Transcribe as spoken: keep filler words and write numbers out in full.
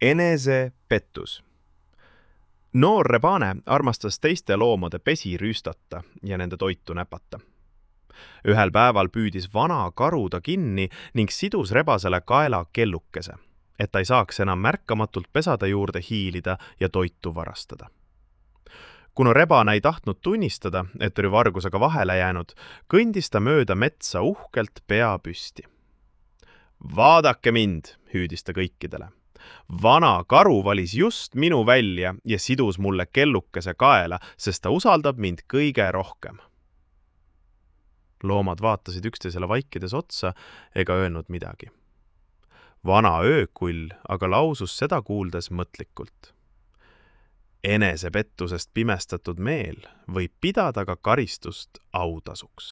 Enesepettus. Noor rebane armastas teiste loomade pesi rüüstata ja nende toitu näpata. Ühel päeval püüdis vana karu ta kinni ning sidus rebasele kaela kellukese, et ta ei saaks enam märkamatult pesade juurde hiilida ja toitu varastada. Kuna rebane ei tahtnud tunnistada, et oli vargusega vahele jäänud, kõndis ta mööda metsa uhkelt pea püsti. Vaadake mind, hüüdis ta kõikidele. Vana karu valis just minu välja ja sidus mulle kellukese kaela, sest ta usaldab mind kõige rohkem. Loomad vaatasid üksteisele vaikides otsa ega öelnud midagi. Vana öökull aga lausus seda kuuldes mõtlikult. Enesepettusest pimestatud meel võib pidada ka karistust autasuks.